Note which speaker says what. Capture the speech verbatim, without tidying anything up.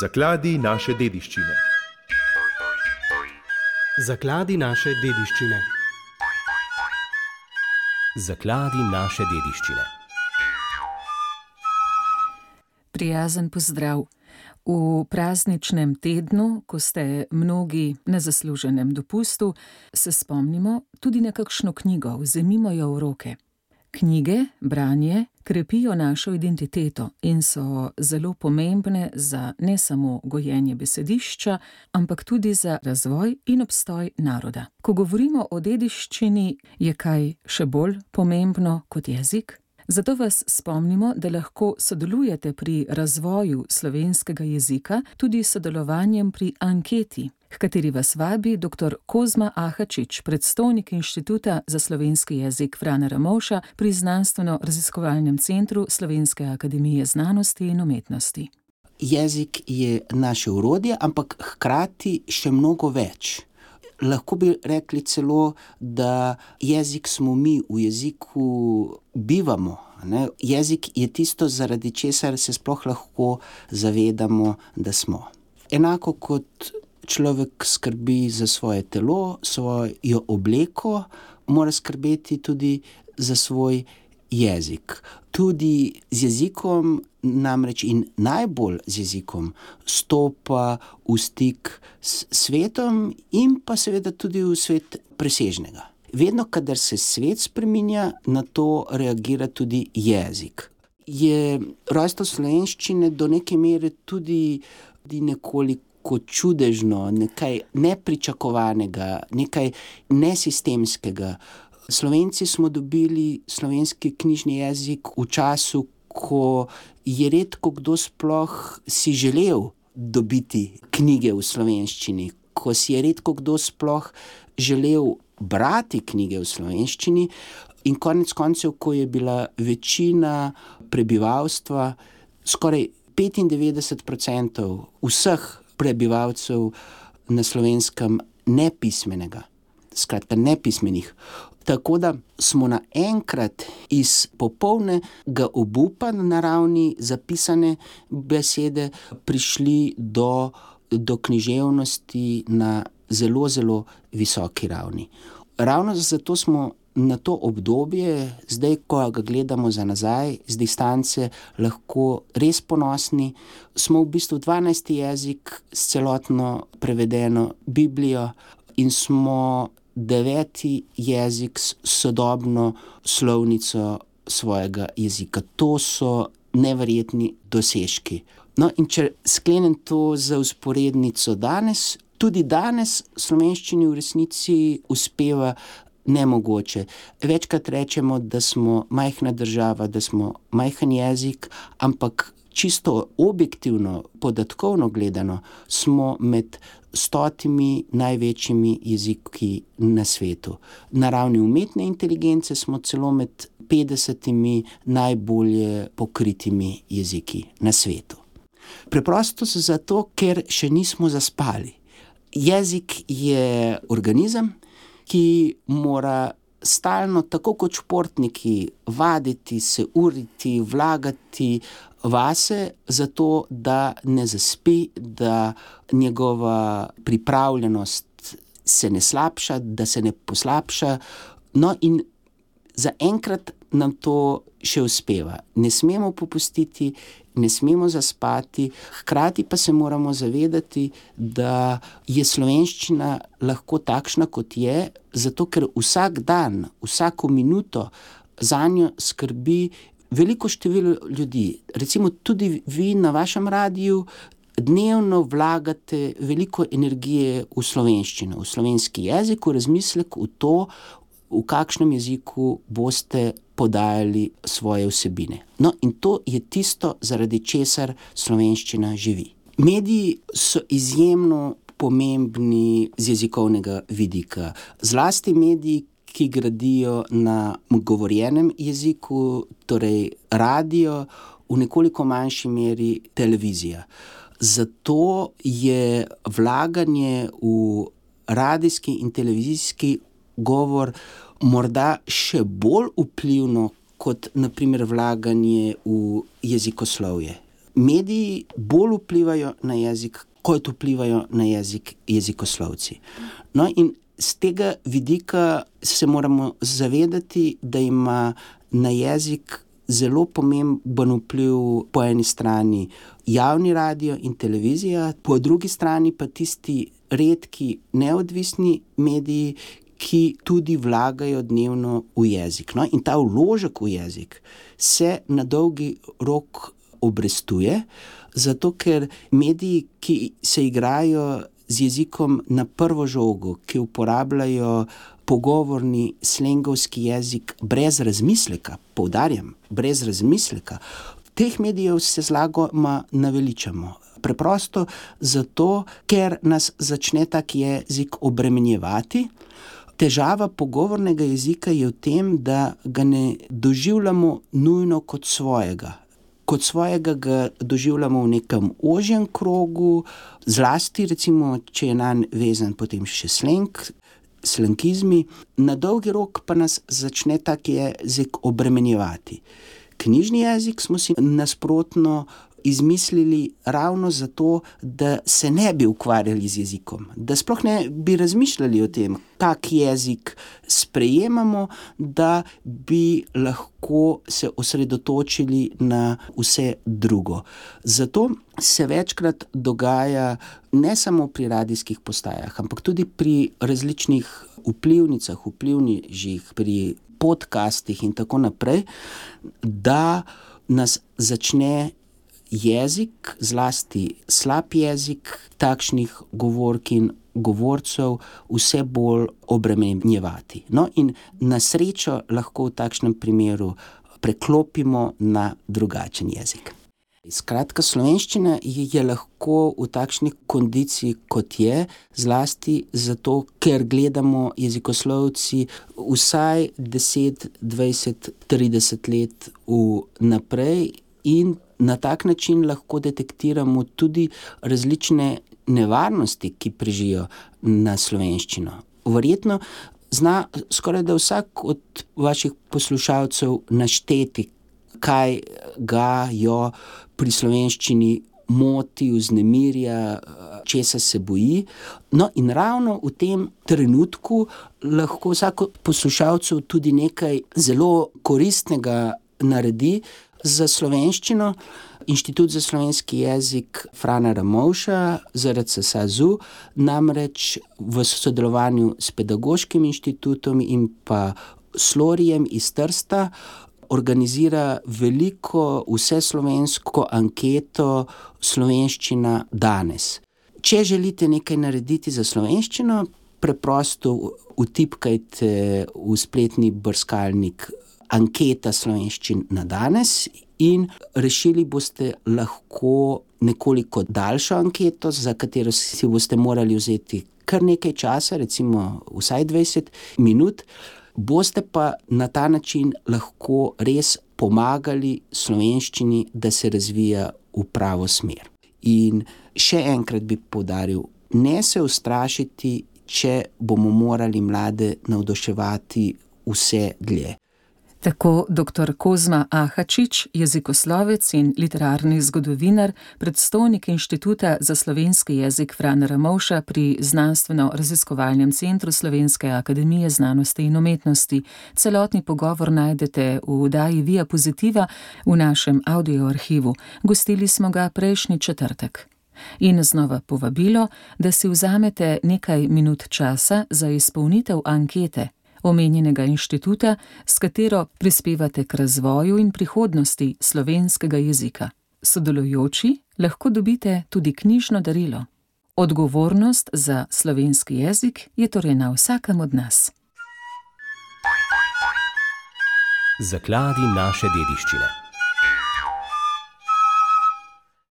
Speaker 1: Zakladi naše dediščine.
Speaker 2: Zakladi naše dediščine.
Speaker 3: Zakladi naše dediščine.
Speaker 4: Prijazen pozdrav. V prazničnem tednu, ko ste mnogi na zasluženem dopustu, se spomnimo tudi na kakšno knjigo, vzemimo jo v roke. Knjige, branje, krepijo našo identiteto in so zelo pomembne za ne samo gojenje besedišča, ampak tudi za razvoj in obstoj naroda. Ko govorimo o dediščini, je kaj še bolj pomembno kot jezik? Zato vas spomnimo, da lahko sodelujete pri razvoju slovenskega jezika tudi s sodelovanjem pri anketi, h kateri vas vabi doktor Kozma Ahačič, predstojnik Inštituta za slovenski jezik Frana Ramovša pri Znanstveno-raziskovalnem centru Slovenske akademije znanosti in umetnosti.
Speaker 5: Jezik je naše orodje, ampak hkrati še mnogo več. Lahko bi rekli celo, da jezik smo mi, v jeziku bivamo. Ne? Jezik je tisto, zaradi česar se sploh lahko zavedamo, da smo. Enako kot človek skrbi za svoje telo, svojo obleko, mora skrbeti tudi za svoj jezik. Tudi z jezikom namreč in najbolj z jezikom stopa v stik s svetom in pa seveda tudi v svet presežnega. Vedno, kadar se svet spreminja, na to reagira tudi jezik. Je rojstvo slovenščine do neke mere tudi, tudi nekoliko čudežno, nekaj nepričakovanega, nekaj nesistemskega. Slovenci smo dobili slovenski knjižni jezik v času, ko je redko kdo sploh si želel dobiti knjige v slovenščini, ko si je redko kdo sploh želel brati knjige v slovenščini in konec koncev, ko je bila večina prebivalstva, skoraj petindevetdeset procentov vseh prebivalcev na Slovenskem nepismenega, skratka nepismenih. Tako da smo naenkrat iz popolnega obupa na ravni zapisane besede prišli do, do književnosti na zelo, zelo visoki ravni. Ravno zato smo na to obdobje, zdaj, ko ga gledamo za nazaj, z distance, lahko res ponosni. Smo v bistvu dvanajsti jezik s celotno prevedeno Biblijo in smo deveti jezik s sodobno slovnico svojega jezika. To so neverjetni dosežki. No, in če sklenem to za vzporednico danes, tudi danes slovenščini v resnici uspeva nemogoče. Večkrat rečemo, da smo majhna država, da smo majhen jezik, ampak čisto objektivno, podatkovno gledano, smo med stotimi največjimi jeziki na svetu. Na ravni umetne inteligence smo celo med petdesetimi najbolje pokritimi jeziki na svetu. Preprosto zato, ker še nismo zaspali. Jezik je organizem, ki mora stalno, tako kot športniki, vaditi, se uriti, vlagati vase, zato da ne zaspi, da njegova pripravljenost se ne slabša, da se ne poslabša. No, in zaenkrat nam to še uspeva. Ne smemo popustiti, ne smemo zaspati, hkrati pa se moramo zavedati, da je slovenščina lahko takšna, kot je, zato ker vsak dan, vsako minuto zanjo skrbi veliko število ljudi. Recimo tudi vi na vašem radiju dnevno vlagate veliko energije v slovenščino, v slovenski jezik, v razmislek, v to, v kakšnem jeziku boste podajali svoje vsebine. No, in to je tisto, zaradi česar slovenščina živi. Mediji so izjemno pomembni z jezikovnega vidika. Zlasti mediji, ki gradijo na govorjenem jeziku, torej radio, v nekoliko manjši meri televizija. Zato je vlaganje v radijski in televizijski govor morda še bolj vplivno kot na primer vlaganje v jezikoslovje. mediji bolj vplivajo na jezik, kot vplivajo na jezik jezikoslovci. No, in z tega vidika se moramo zavedati, da ima na jezik zelo pomemben vpliv po eni strani javni radio in televizija, po drugi strani pa tisti redki neodvisni mediji, ki tudi vlagajo dnevno v jezik. No, in ta vložek v jezik se na dolgi rok obrestuje, zato ker mediji, ki se igrajo z jezikom na prvo žogo, ki uporabljajo pogovorni slengovski jezik brez razmisleka, poudarjam, brez razmisleka, teh medijev se zlagoma naveličamo. Preprosto zato, ker nas začne tak jezik obremenjevati. Težava pogovornega jezika je v tem, da ga ne doživljamo nujno kot svojega. Kot svojega ga doživljamo v nekem ožjem krogu, zlasti recimo, če je nanj vezan potem še sleng, slengizmi, na dolgi rok pa nas začne tak jezik obremenjevati. Knjižni jezik smo si nasprotno izmislili ravno zato, da se ne bi ukvarjali z jezikom, da sploh ne bi razmišljali o tem, kak jezik sprejemamo, da bi lahko se osredotočili na vse drugo. Zato se večkrat dogaja ne samo pri radijskih postajah, ampak tudi pri različnih vplivnicah, vplivnežih, pri podcastih in tako naprej, da nas začne jezik, zlasti slab jezik takšnih govork in govorcev vse bolj obremenjevati. No, in na srečo lahko v takšnem primeru preklopimo na drugačen jezik. Skratka, slovenščina je lahko v takšni kondiciji, kot je, zlasti zato, ker gledamo jezikoslovci vsaj deset, dvajset, trideset let vnaprej in na tak način lahko detektiramo tudi različne nevarnosti, ki prežijo na slovenščino. Verjetno zna skoraj da vsak od vaših poslušalcev našteti, kaj ga jo pri slovenščini moti, vznemirja, česa se boji. No, in ravno v tem trenutku lahko vsak od poslušalcev tudi nekaj zelo koristnega naredi za slovenščino. Inštitut za slovenski jezik Frana Ramovša, Z R C SAZU, namreč v sodelovanju s Pedagoškim inštitutom in pa Slorijem iz Trsta organizira veliko vseslovensko anketo Slovenščina danes. Če želite nekaj narediti za slovenščino, preprosto vtipkajte v spletni brskalnik anketa slovenščin na danes in rešili boste lahko nekoliko daljšo anketo, za katero si boste morali vzeti kar nekaj časa, recimo vsaj dvajset minut, boste pa na ta način lahko res pomagali slovenščini, da se razvija v pravo smer. In še enkrat bi poudaril, ne se ustrašiti, če bomo morali mlade navduševati vse dlje.
Speaker 4: Tako doktor Kozma Ahačič, jezikoslovec in literarni zgodovinar, predstojnik Inštituta za slovenski jezik Frana Ramovša pri Znanstveno-raziskovalnem centru Slovenske akademije znanosti in umetnosti. Celotni pogovor najdete v oddaji Via Pozitiva v našem audioarhivu. Gostili smo ga prejšnji četrtek. In znova povabilo, da si vzamete nekaj minut časa za izpolnitev ankete omenjenega inštituta, s katero prispevate k razvoju in prihodnosti slovenskega jezika. Sodelujoči lahko dobite tudi knjižno darilo. Odgovornost za slovenski jezik je torej na vsakem od nas.
Speaker 3: Zakladi naše dediščine.